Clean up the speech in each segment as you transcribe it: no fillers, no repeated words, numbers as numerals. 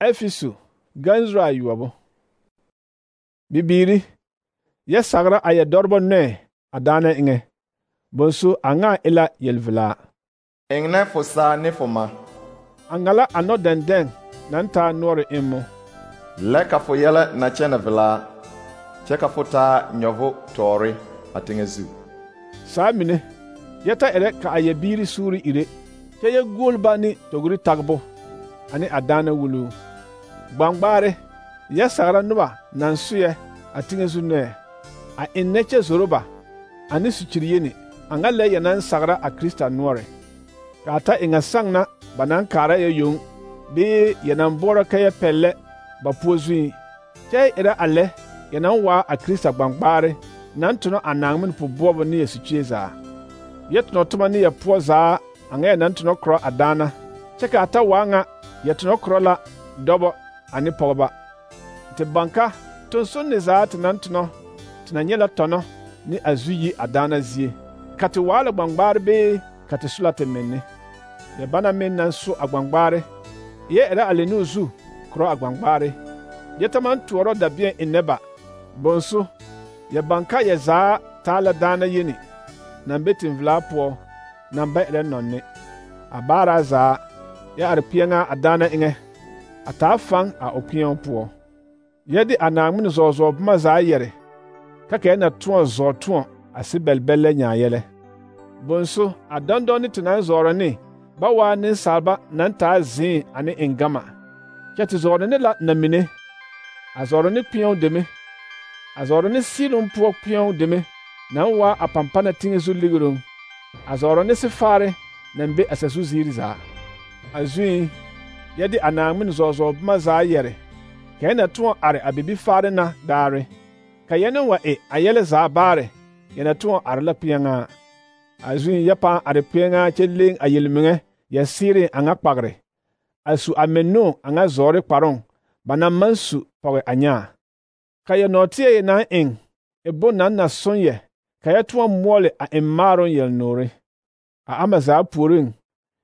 Efesu ganzura ayuobo. Bibiiri, yɛ sagra a yɛ dɔrbo nɔɛ a daana eŋɛ. Bonsu a ŋa ila yelvilaa. Eŋnɛ fo saa ne fo ma. A ŋala a nɔ dɛndɛŋ naŋ taa noɔre emmo. Lɛ ka fo yɛlɛ na kyɛnɛ vilaa, kyɛ ka fo taa nyɔvo tɔɔre a teŋɛ zu. Saa mine, yɛ ta erɛ ka a yɛ biiri suuri ire, kyɛ yɛ guol ba ne togri tagbo ane a daana wuluu. Gbangbaare, yɛ sagra noba naŋ soyɛ a teŋɛ zu nɔɛ, a ennɛ kyɛ zoro ba ane sukyiri yeni, a ŋa lɛ yɛ naŋ sagra a Krista noɔre. Ka a ta eŋa saŋ na ba naŋ kaara yɛ yoŋ, bee yɛ naŋ boɔrɔ ka yɛ pɛllɛ ba poɔ zuiŋ, kyɛ yɛ erɛ a lɛ yɛ naŋ waa a Krista gbangbaare naŋ tonɔ a Naaŋmen pu-boɔbɔ ne yɛ sukyie zaa. Yɛ tonɔ toma ne yɛ poɔ zaa a ŋa yɛ naŋ tonɔ korɔ a daana, kyɛ ka a ta waa ŋa yɛ tonɔ korɔ la dɔbɔ ane pɔgeba. Te banka tonsunni zaa te naŋ tonɔ te na nyɛ la tɔnɔ ne a zu yi a daana zie, ka te waa la gbangbaare bee ka te so la te menne. Yɛ bana meŋ naŋ so a gbangbaare, yɛ erɛ a lenuu zu korɔ a gbangbaare. Yɛ ta maŋ toɔrɔ dabeɛn ennɛ ba. Bonso, yɛ banka yɛ zaa taa la daana yeni, naŋ be tenvelaa poɔ, naŋ ba erɛ nɔnne. A baaraa zaa, yɛ are kpeɛŋaa a daana eŋɛ, a taa faŋ a o kpeɛŋ poɔ. Yɛ de a Naaŋmen zɔɔzɔɔ boma zaa yɛre, ka ka yɛ na tõɔ zɔɔ tõɔ a sebɛlbɛllɛ nyaa yɛlɛ. Bonso, a dɔndɔne te naŋ zɔɔrɔ ne ba waa nensaalba naŋ taa zẽẽ ane eŋgama, kyɛ te zɔɔrɔ ne la namine, a zɔɔrɔ ne kpeɛo deme, a zɔɔrɔ ne sɩɩloŋ poɔ kpeɛo deme naŋ waa a pampana teŋɛ zu ligeroŋ, a zɔɔrɔ ne sefaare naŋ be a sazu ziiri zaa. A zuiŋ, yɛ de a Naaŋmen zɔɔzɔɔ boma zaa yɛre, ka yɛ na tõɔ are a bibifaare na daare, ka yɛ ne wa e a yɛlɛ zaa baare, yɛ na tõɔ are la kpeɛŋaa. A zuiŋ yɛ pãã are kpeɛŋaa kyɛ leŋ a yelmeŋɛ yɛ seereŋ a ŋa kpagre, a su a mennoo a ŋa zɔɔre kparoŋ ba naŋ maŋ su pɔge a nyaa. Ka yɛ nɔɔteɛ yɛ naŋ eŋ e bon naŋ na soŋ yɛ, ka yɛ tõɔ moɔle a eŋ maaroŋ yelnoore. A ama zaa puoriŋ,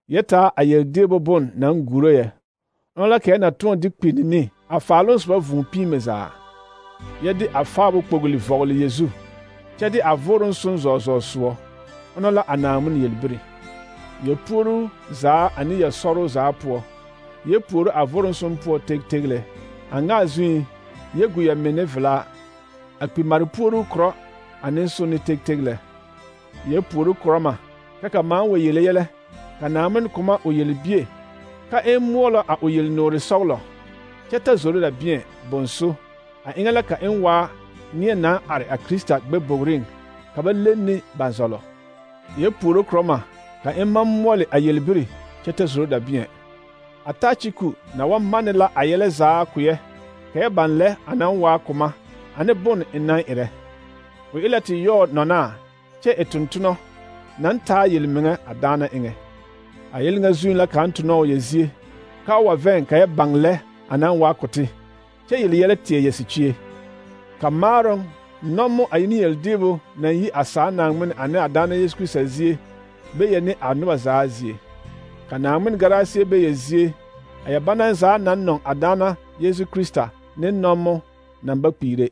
yɛ taa a yeldeebo bon naŋ guro yɛ, ona la ka yɛ na tõɔ de kpinni ne a faaloŋ soba vũũ piime zaa. Yɛ de a faabo kpogli vɔgele yɛ zu, kyɛ de a voroŋ son zɔɔzɔɔ soɔ, ona la a Naaŋmen yelbiri. Yɛ puoruu zaa ane yɛ sɔroo zaa poɔ, yɛ puoro a voroŋ son poɔ tegteglɛ. A ŋa a zuiŋ, yɛ gu yɛ menne velaa, a kpimare puoruu korɔ ane sone tegteglɛ. Yɛ puoro korɔma, ka ka maaŋ wa yele yɛlɛ, ka Naaŋmen koma o yelbie, ka eŋ moɔlɔ a o yelnoore sɔglɔ, kyɛ ta zoro la bieŋ. Bonso, a eŋɛ la ka eŋ waa neɛ naŋ are a Krista gbɛbogreŋ, ka ba lenni ne ba zɔlɔ. Yɛ puoro korɔma, ka eŋ maŋ moɔle a yelbiri kyɛ ta zoro da bieŋ. A Tachiku na wa manne la a yɛlɛ zaa koyɛ, ka yɛ baŋ lɛ a naŋ waa koma ane bon eŋ naŋ erɛ. O e la te yɔɔ nɔnaa kyɛ e tontonɔ naŋ taa yelmeŋɛ a daana eŋɛ. A yɛl ŋa zuiŋ la kaŋ tonɔ o yɛ zie, ka o wa vɛŋ ka yɛ baŋ lɛ a naŋ waa kote, kyɛ yele yɛlɛ teɛ yɛ sikyie. Ka maaroŋ, nɔmo a ne yeldeebo naŋ yi a saa Naaŋmen ane a daana Yesu Krista zie be yɛ ne a noba zaa zie. Ka Naaŋmen garaaseɛ be yɛ zie, a yɛ bana zaa naŋ nɔŋ a daana Yesu Krista ne nɔmo naŋ ba kpiire.